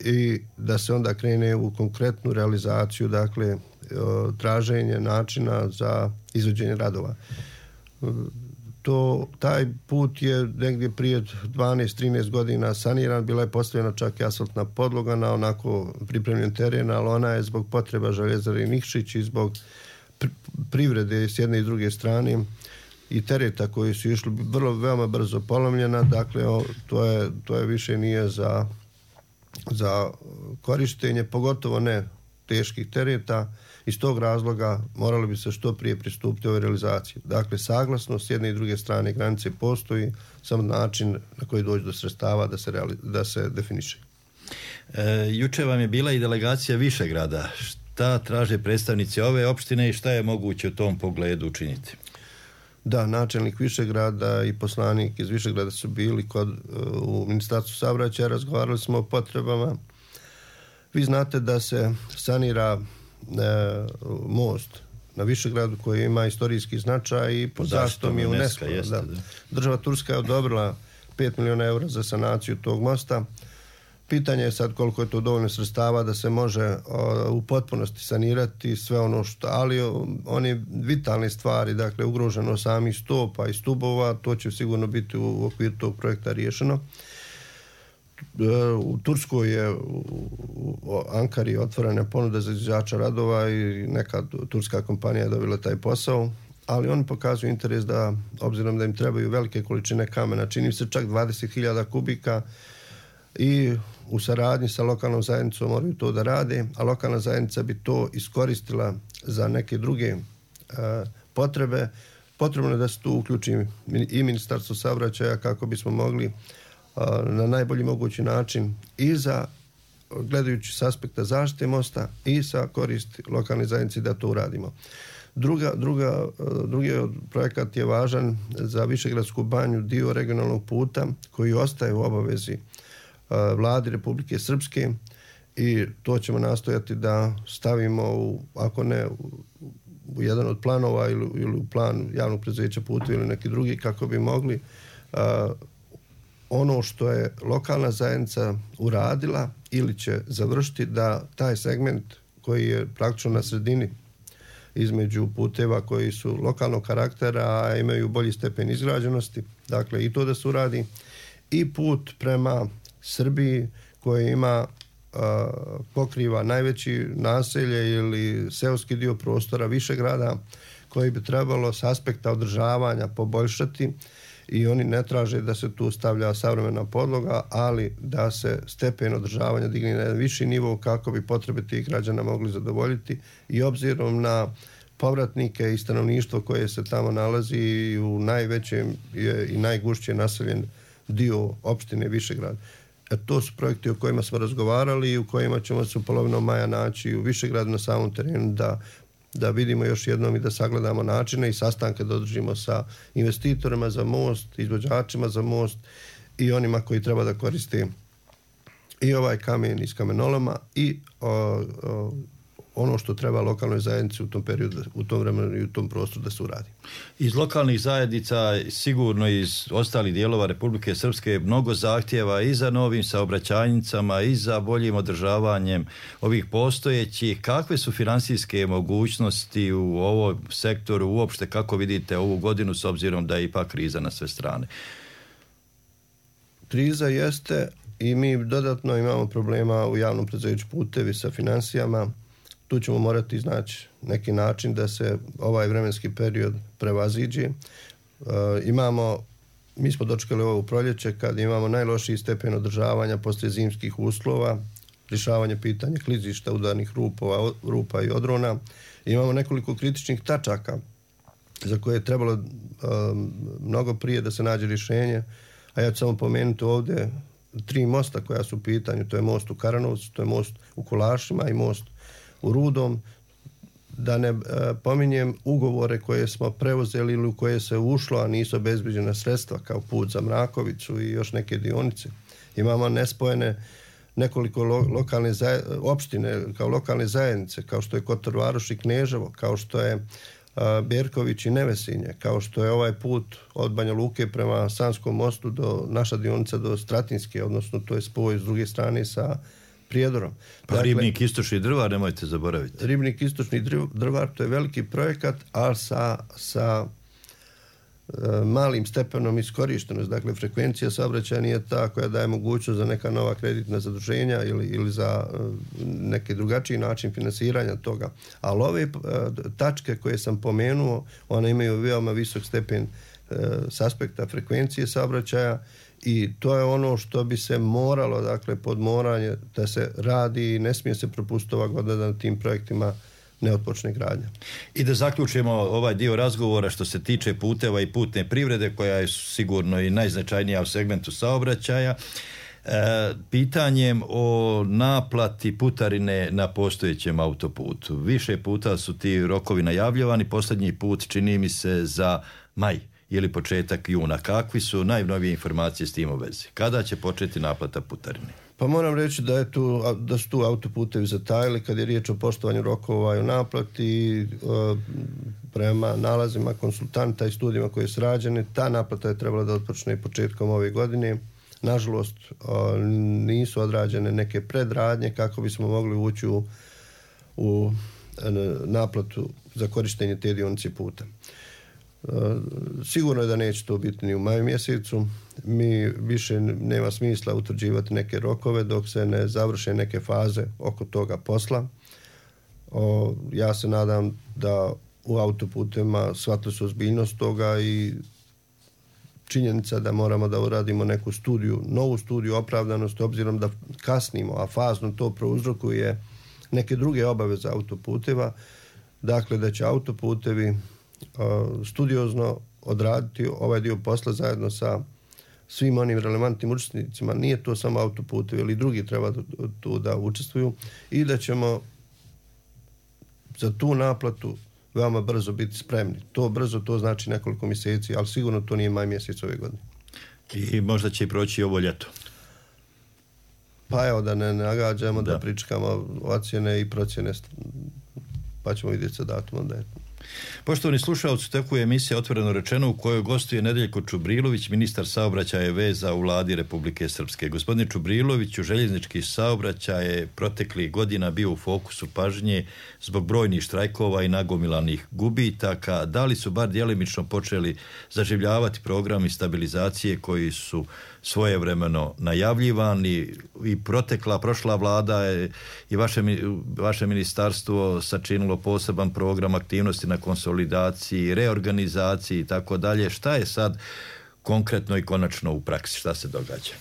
i da se onda krene u konkretnu realizaciju, dakle traženje načina za izvođenje radova. Taj put je negdje prije 12-13 godina saniran, bila je postavljena čak i asfaltna podloga na onako pripremljen teren, ali ona je zbog potreba Željezare Nikšić i zbog privrede s jedne i druge strane i tereta koji su išli veoma brzo polomljena, dakle to je više nije za korištenje, pogotovo ne teških tereta. Iz tog razloga morali bi se što prije pristupiti ovoj realizaciji. Dakle, saglasnost s jedne i druge strane granice postoji, samo način na koji dođe do sredstava da se definiše. Juče vam je bila i delegacija Višegrada. Šta traže predstavnici ove opštine i šta je moguće u tom pogledu učiniti? Da, načelnik Višegrada i poslanik iz Višegrada su bili u Ministarstvu saobraćaja, razgovarali smo o potrebama. Vi znate da se sanira most na Višegradu koji ima istorijski značaj i pod zaštitom je UNESCO. Država Turska je odobrila 5 miliona eura za sanaciju tog mosta. Pitanje je sad koliko je to dovoljno sredstava da se može u potpunosti sanirati sve ono ali one vitalne stvari, dakle ugroženo samih stopa i stubova, to će sigurno biti u okviru tog projekta riješeno. U Turskoj je u Ankari otvorena ponuda za izvođača radova i neka turska kompanija je dobila taj posao, ali oni pokazuju interes da, obzirom da im trebaju velike količine kamena, čini se čak 20.000 kubika i u saradnji sa lokalnom zajednicom moraju to da rade, a lokalna zajednica bi to iskoristila za neke druge potrebe. Potrebno je da se tu uključi i Ministarstvo saobraćaja kako bismo mogli na najbolji mogući način i za gledajući s aspekta zaštite mosta i sa koristi lokalne zajednice da to uradimo. Drugi projekat je važan za Višegradsku banju, dio regionalnog puta koji ostaje u obavezi vladi Republike Srpske i to ćemo nastojati da stavimo ako ne u jedan od planova ili u plan javnog preduzeća puta ili neki drugi kako bi mogli ono što je lokalna zajednica uradila ili će završiti da taj segment koji je praktično na sredini između puteva koji su lokalnog karaktera, a imaju bolji stepen izgrađenosti, dakle i to da se uradi, i put prema Srbiji koji ima pokriva najveći naselje ili seoski dio prostora Višegrada koji bi trebalo s aspekta održavanja poboljšati i oni ne traže da se tu stavlja savremena podloga, ali da se stepen održavanja digne na jedan viši nivo kako bi potrebe tih građana mogli zadovoljiti i obzirom na povratnike i stanovništvo koje se tamo nalazi u najvećem i najgušće naseljen dio opštine Višegrad. To su projekti o kojima smo razgovarali i u kojima ćemo se u polovinom maja naći u Višegradu na samom terenu da vidimo još jednom i da sagledamo načine i sastanke da održimo sa investitorima za most, izvođačima za most i onima koji treba da koriste i ovaj kamen iz kamenoloma i ono što treba lokalnoj zajednici u tom periodu, u tom vremenu i u tom prostoru da se uradi. Iz lokalnih zajednica, sigurno iz ostalih dijelova Republike Srpske, mnogo zahtjeva i za novim saobraćajnicama i za boljim održavanjem ovih postojećih. Kakve su finansijske mogućnosti u ovom sektoru uopšte, kako vidite ovu godinu s obzirom da je ipak kriza na sve strane? Kriza jeste i mi dodatno imamo problema u javnom preduzeću putevi sa finansijama. tu ćemo morati iznaći neki način da se ovaj vremenski period prevaziđe. Mi smo dočekali ovo u proljeće kad imamo najlošiji stepen održavanja poslije zimskih uslova, rješavanje pitanja klizišta, udarnih rupa i odrona. Imamo nekoliko kritičnih tačaka za koje je trebalo mnogo prije da se nađe rješenje, a ja ću samo pomenuti ovdje 3 mosta koja su u pitanju. To je most u Karanovcu, to je most u Kolašima i most u Rudom. Da ne pominjem ugovore koje smo preuzeli ili u koje se ušlo, a nisu obezbeđena sredstva, kao put za Mrakovicu i još neke dionice. Imamo nespojene nekoliko opštine kao lokalne zajednice, kao što je Kotor Varoš i Kneževo, kao što je Berković i Nevesinje, kao što je ovaj put od Banja Luke prema Sanskom mostu do naša dionica do Stratinske, odnosno to je spoj s druge strane sa Prijedorom. Pa dakle, Ribnik Istočni Drvar, nemojte zaboraviti. Ribnik Istočni Drvar, to je veliki projekat, ali sa malim stepenom iskorištenost. Dakle, frekvencija saobraćaja nije ta koja daje mogućnost za neka nova kreditna zaduženja ili za neki drugačiji način finansiranja toga. Ali ove tačke koje sam pomenuo, one imaju veoma visok stepen s aspekta frekvencije saobraćaja i to je ono što bi se moralo, dakle, podmoranje da se radi i ne smije se propustiti ova godina da na tim projektima ne otpočne gradnja. I da zaključimo ovaj dio razgovora što se tiče puteva i putne privrede, koja je sigurno i najznačajnija u segmentu saobraćaja, pitanjem o naplati putarine na postojećem autoputu. Više puta su ti rokovi najavljivani, posljednji put čini mi se za maj ili početak juna. Kakvi su najnovije informacije s tim u vezi? Kada će početi naplata putarine? Pa moram reći da su tu autoputevi zatajili kad je riječ o poštovanju rokova i o naplati. Prema nalazima konsultanta i studijima koje su rađene, ta naplata je trebala da otpočne početkom ove godine. Nažalost, nisu odrađene neke predradnje kako bismo mogli ući u naplatu za korištenje te dionice puta. Sigurno je da neće to biti ni u maju mjesecu. Mi više nema smisla utvrđivati neke rokove dok se ne završe neke faze oko toga posla. Ja se nadam da u autoputima shvatili su ozbiljnost toga i činjenica da moramo da uradimo neku novu studiju opravdanosti, obzirom da kasnimo, a fazno to prouzrokuje neke druge obaveze autoputeva. Dakle, da će autoputevi studiozno odraditi ovaj dio posla zajedno sa svim onim relevantnim učesnicima. Nije to samo autoputevi, ali i drugi treba tu da učestvuju i da ćemo za tu naplatu veoma brzo biti spremni. To brzo, to znači nekoliko mjeseci, ali sigurno to nije maj mjesec ove godine. I možda će i proći ovo ljeto. Pa evo, da ne nagađamo, da pričekamo ocjene i procjene, pa ćemo vidjeti sa datumom da je. Poštovani slušalci, tako je emisija Otvoreno rečeno u kojoj gostuje Nedeljko Čubrilović, ministar saobraćaja i veza u vladi Republike Srpske. Gospodine Čubriloviću, željeznički saobraćaj je proteklih godina bio u fokusu pažnje zbog brojnih štrajkova i nagomilanih gubitaka. Da li su bar djelimično počeli zaživljavati programi stabilizacije koji su svojevremeno najavljivani i prošla vlada i vaše ministarstvo sačinilo poseban program aktivnosti na konsolidaciji, reorganizaciji i tako dalje. Šta je sad konkretno i konačno u praksi? Šta se događa?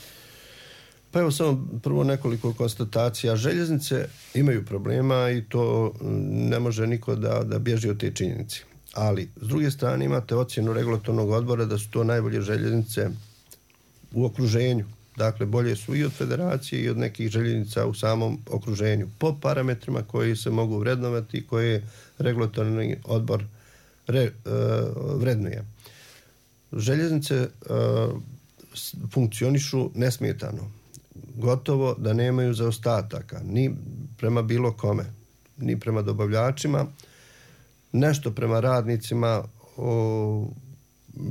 Pa evo samo prvo nekoliko konstatacija. Željeznice imaju problema i to ne može niko da bježi od te činjenice. Ali, s druge strane, imate ocjenu regulatornog odbora da su to najbolje željeznice u okruženju. Dakle, bolje su i od federacije i od nekih željeznica u samom okruženju. Po parametrima koji se mogu vrednovati i koje regulatorni odbor vrednuje. Željeznice funkcionišu nesmetano. Gotovo da nemaju zaostataka. Ni prema bilo kome. Ni prema dobavljačima. Nešto prema radnicima,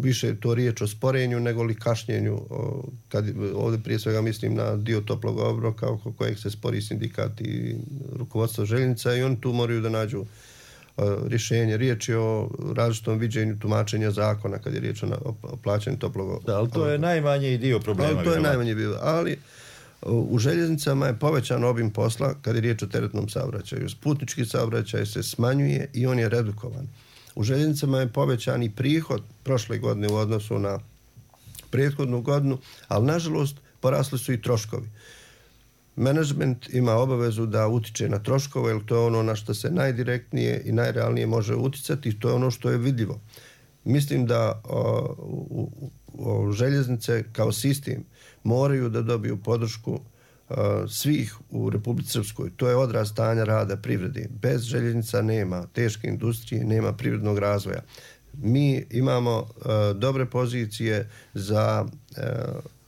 više je to riječ o sporenju nego li kašnjenju. Ovdje prije svega mislim na dio toplog obroka oko kojeg se spori sindikat i rukovodstvo željeznica i oni tu moraju da nađu rješenje. Riječ je o različitom viđenju tumačenja zakona kad je riječ o plaćanju toplog obroka. Da, ali to je najmanji dio problema. To je najmanji dio, ali U željeznicama je povećan obim posla kad je riječ o teretnom saobraćaju. Putnički saobraćaj se smanjuje i on je redukovan. U željeznicama je povećan i prihod prošle godine u odnosu na prethodnu godinu, ali nažalost porasli su i troškovi. Menadžment ima obavezu da utiče na troškove, jer to je ono na što se najdirektnije i najrealnije može uticati i to je ono što je vidljivo. Mislim da željeznice kao sistem moraju da dobiju podršku svih u Republici Srpskoj. To je odraz stanja rada privrede. Bez željeznica nema teške industrije, nema privrednog razvoja. Mi imamo dobre pozicije za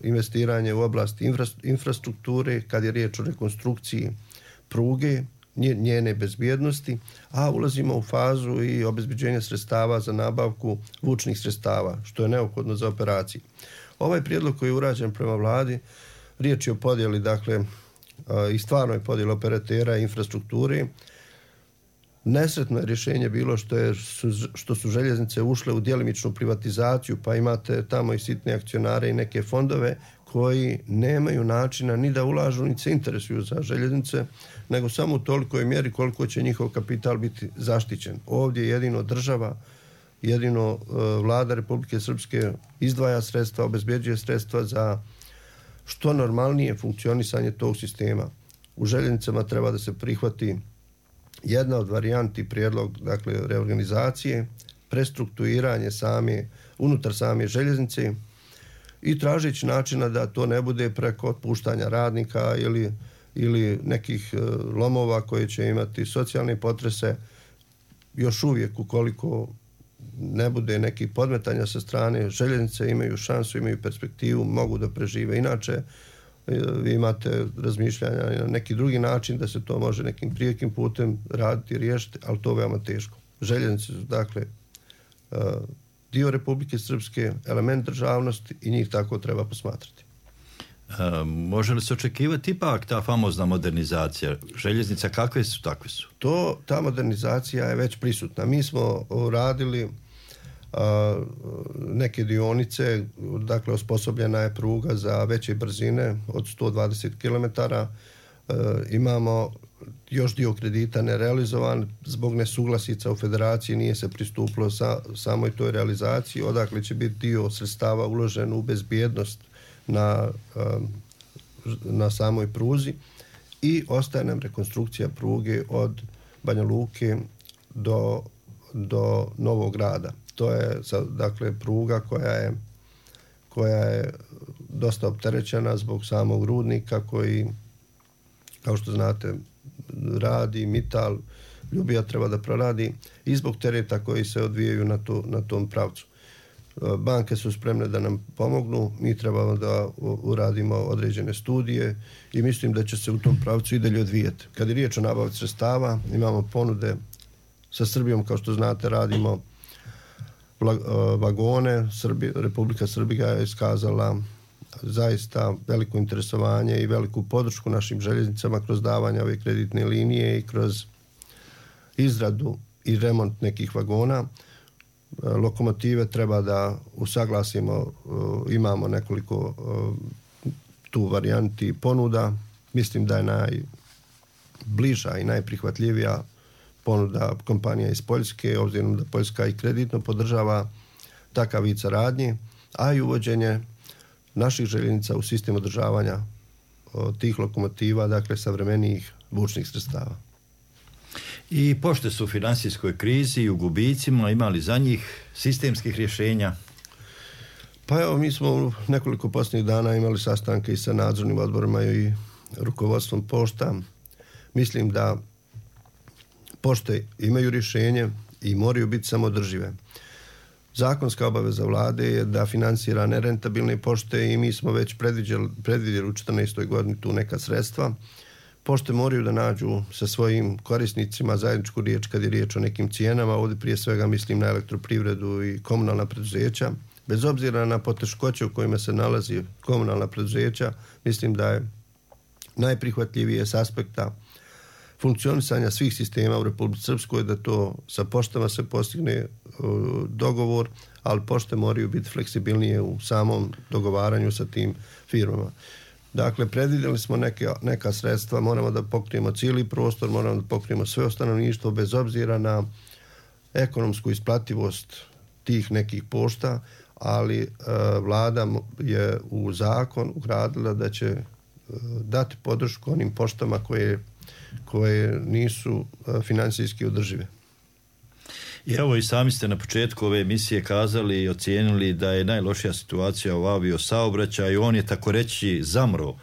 investiranje u oblasti infrastrukture kad je riječ o rekonstrukciji pruge, njene bezbjednosti, a ulazimo u fazu i obezbeđenja sredstava za nabavku vučnih sredstava, što je neophodno za operaciju. Ovaj prijedlog koji je urađen prema vladi, riječ je o podjeli, dakle, i stvarnoj podjeli operatera i infrastrukture. Nesretno je rješenje bilo što su željeznice ušle u djelimičnu privatizaciju, pa imate tamo i sitne akcionare i neke fondove koji nemaju načina ni da ulažu, ni se interesuju za željeznice, nego samo u tolikoj mjeri koliko će njihov kapital biti zaštićen. Ovdje jedino država, jedino vlada Republike Srpske izdvaja sredstva, obezbeđuje sredstva za što normalnije funkcionisanje tog sistema. U željeznicama treba da se prihvati jedna od varijanti prijedlog, dakle, reorganizacije, prestrukturiranje unutar same željeznice i tražeći načina da to ne bude preko otpuštanja radnika ili nekih lomova koje će imati socijalne potrese. Još uvijek, ukoliko ne bude nekih podmetanja sa strane, željeznice imaju šansu, imaju perspektivu, mogu da prežive. Inače, vi imate razmišljanja na neki drugi način da se to može nekim prijekim putem raditi i riješiti, ali to je veoma teško. Željeznice su, dakle, dio Republike Srpske, element državnosti i njih tako treba posmatrati. Može li se očekivati ipak ta famozna modernizacija željeznica? Kakve su, takve su? Ta modernizacija je već prisutna. Mi smo radili neke dionice, dakle osposobljena je pruga za veće brzine od 120 km. Imamo još dio kredita nerealizovan zbog nesuglasica u federaciji, nije se pristupilo samoj toj realizaciji, odakle će biti dio sredstava uložen u bezbjednost na samoj pruzi i ostaje nam rekonstrukcija pruge od Banja Luke do Novog Grada. To je, dakle, pruga koja je dosta opterećena zbog samog rudnika koji, kao što znate, radi, Mital, Ljubija treba da proradi i zbog tereta koji se odvijaju na tom pravcu. Banke su spremne da nam pomognu, mi trebamo da uradimo određene studije i mislim da će se u tom pravcu i dalje odvijeti. Kad je riječ o nabavci sredstava, imamo ponude sa Srbijom, kao što znate, radimo vagone. Republika Srbija je iskazala zaista veliko interesovanje i veliku podršku našim željeznicama kroz davanje ove kreditne linije i kroz izradu i remont nekih vagona. Lokomotive treba da usaglasimo, imamo nekoliko tu varijanti ponuda. Mislim da je najbliža i najprihvatljivija ponuda kompanija iz Poljske, obzirom da Poljska i kreditno podržava takav vid saradnje, a i uvođenje naših željeznica u sistem održavanja tih lokomotiva, dakle savremenijih vučnih sredstava. I pošte su u finansijskoj krizi i u gubicima, imali za njih sistemskih rješenja? Pa evo, mi smo nekoliko posljednjih dana imali sastanke i sa nadzornim odborima i rukovodstvom pošta. Mislim da pošte imaju rješenje i moraju biti samoodržive. Zakonska obaveza vlade je da finansira nerentabilne pošte i mi smo već predvidjeli u 2014. godini tu neka sredstva. Pošte moraju da nađu sa svojim korisnicima zajedničku riječ kad je riječ o nekim cijenama. Ovdje prije svega mislim na elektroprivredu i komunalna preduzeća. Bez obzira na poteškoće u kojima se nalazi komunalna preduzeća, mislim da je najprihvatljivije s aspekta funkcionisanja svih sistema u Republici Srpskoj da to sa poštama se postigne dogovor, ali pošte moraju biti fleksibilnije u samom dogovaranju sa tim firmama. Dakle, predvidjeli smo neka sredstva, moramo da pokrijemo cijeli prostor, moramo da pokrijemo sve stanovništvo bez obzira na ekonomsku isplativost tih nekih pošta, ali vlada je u zakon ugradila da će dati podršku onim poštama koje nisu financijski održive. I evo i sami ste na početku ove emisije kazali i ocijenili da je najlošija situacija u aviosaobraćaju, on je tako reći zamro.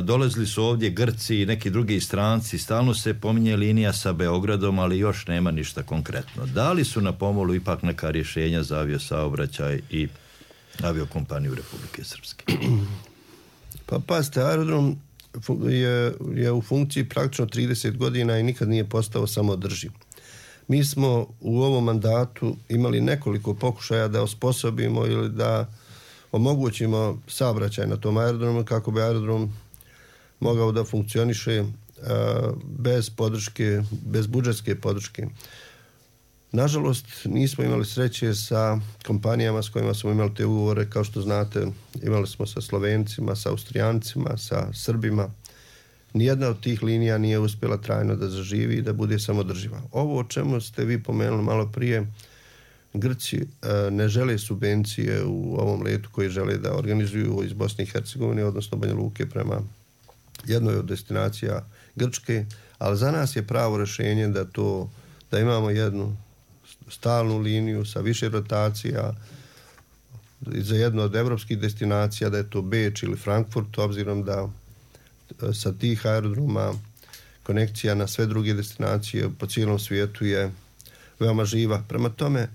Dolazili su ovdje Grci i neki drugi stranci, stalno se pominje linija sa Beogradom, ali još nema ništa konkretno. Da li su na pomolu ipak neka rješenja za aviosaobraćaj i aviokompaniju Republike Srpske? Pa pazite, aerodrom je u funkciji praktično 30 godina i nikad nije postao samoodrživ. Mi smo u ovom mandatu imali nekoliko pokušaja da osposobimo ili da omogućimo saobraćaj na tom aerodromu kako bi aerodrom mogao da funkcioniše bez podrške, bez budžetske podrške. Nažalost, nismo imali sreće sa kompanijama s kojima smo imali te ugovore. Kao što znate, imali smo sa Slovencima, sa Austrijancima, sa Srbima. Nijedna od tih linija nije uspjela trajno da zaživi i da bude samodrživa. Ovo o čemu ste vi pomenuli malo prije, Grci ne žele subvencije u ovom letu koji žele da organizuju iz Bosne i Hercegovine, odnosno Banja Luke prema jednoj od destinacija Grčke, ali za nas je pravo rješenje da imamo jednu stalnu liniju sa više rotacija za jednu od evropskih destinacija, da je to Beč ili Frankfurt, obzirom da sa tih aerodroma konekcija na sve druge destinacije po cijelom svijetu je veoma živa. Prema tome,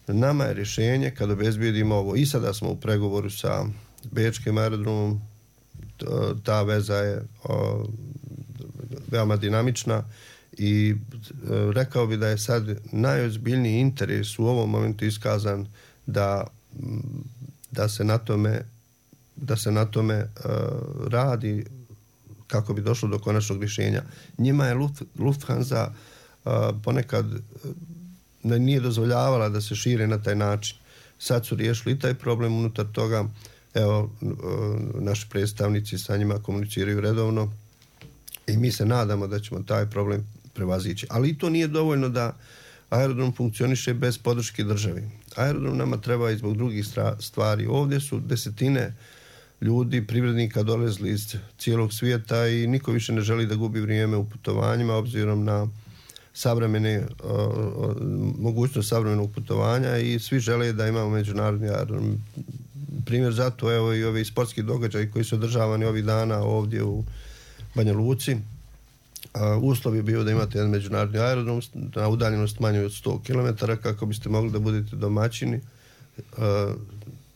nama je rješenje kad obezbijedimo ovo. I sada smo u pregovoru sa Bečkim aerodromom, ta veza je veoma dinamična i rekao bi da je sad najozbiljniji interes u ovom momentu iskazan da se na tome radi kako bi došlo do konačnog rješenja. Njima je Lufthansa ponekad nije dozvoljavala da se šire na taj način. Sad su riješili i taj problem unutar toga. Evo, naši predstavnici sa njima komuniciraju redovno i mi se nadamo da ćemo taj problem prevazići. Ali i to nije dovoljno da aerodrom funkcioniše bez podrške države. Aerodrom nama treba i zbog drugih stvari. Ovdje su desetine ljudi, privrednika dolazili iz cijelog svijeta i niko više ne želi da gubi vrijeme u putovanjima obzirom na mogućnost savremenog putovanja i svi žele da imamo međunarodni aerodrom. Primjer zato evo i ovi sportski događaji koji su održavani ovih dana ovdje u Banja Luci. Uslov je bio da imate jedan međunarodni aerodrom na udaljenost manje od 100 km kako biste mogli da budete domaćini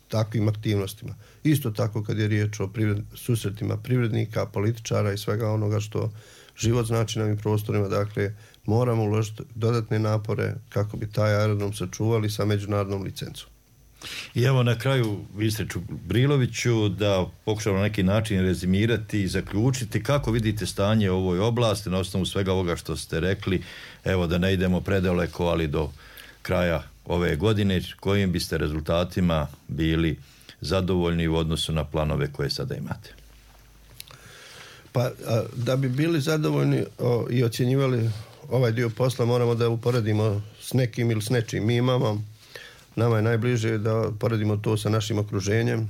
takvim aktivnostima. Isto tako kad je riječ o susretima privrednika, političara i svega onoga što život znači na ovim prostorima, dakle moramo uložiti dodatne napore kako bi taj aerodrom sačuvali sa međunarodnom licencom. I evo na kraju, ministre Čubriloviću, da pokušamo na neki način rezimirati i zaključiti kako vidite stanje u ovoj oblasti na osnovu svega ovoga što ste rekli, evo da ne idemo predaleko, ali do kraja ove godine, kojim biste rezultatima bili zadovoljni u odnosu na planove koje sada imate? Pa da bi bili zadovoljni i ocjenjivali ovaj dio posla moramo da uporedimo s nekim ili s nečim. Nama je najbliže da poredimo to sa našim okruženjem,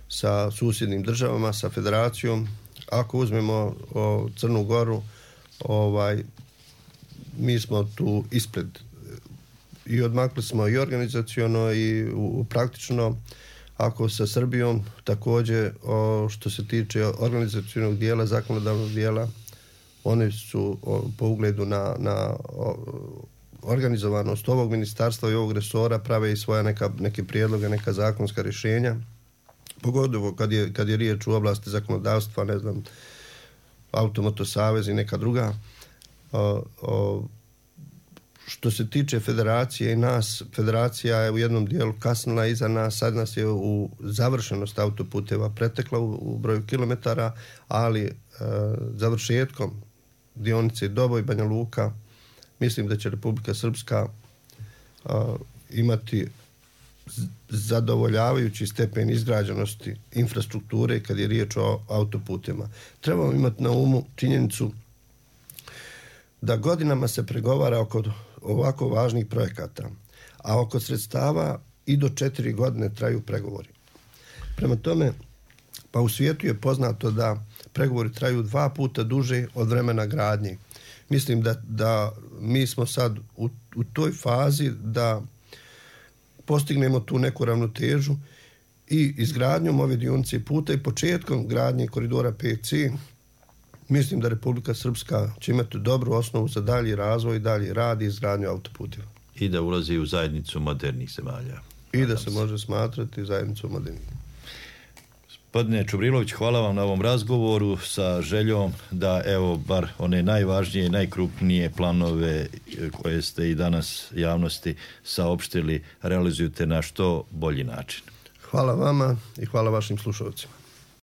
sa susjednim državama, sa federacijom. Ako uzmemo Crnu Goru, mi smo tu ispred i odmakli smo i organizaciono i praktično. Ako sa Srbijom također što se tiče organizacionog dijela, zakonodavnog dijela, one su po ugledu na organizovanost ovog ministarstva i ovog resora prave i svoja neke prijedloge, neka zakonska rješenja. Pogotovo kad je riječ u oblasti zakonodavstva, ne znam, Automoto savez i neka druga. Što se tiče federacije i nas, federacija je u jednom dijelu kasnila iza nas, sad nas je u završenost autoputeva pretekla u broju kilometara, ali završetkom dionice Doboj, Banja Luka, mislim da će Republika Srpska imati zadovoljavajući stepen izgrađenosti infrastrukture kad je riječ o autoputima. Trebamo imati na umu činjenicu da godinama se pregovara oko ovako važnih projekata, a oko sredstava i do 4 godine traju pregovori. Prema tome, pa u svijetu je poznato da pregovori traju 2 puta duže od vremena gradnje. Mislim da mi smo sad u toj fazi da postignemo tu neku ravnotežu i izgradnjom ove dionice puta i početkom gradnje koridora 5C. Mislim da Republika Srpska će imati dobru osnovu za dalji razvoj, dalji rad i izgradnju autoputeva. I da ulazi u zajednicu modernih zemalja. I da se može smatrati zajednicu modernih. Gospodine Čubrilović, hvala vam na ovom razgovoru sa željom da evo bar one najvažnije i najkrupnije planove koje ste i danas javnosti saopštili realizujete na što bolji način. Hvala vama i hvala vašim slušalcima.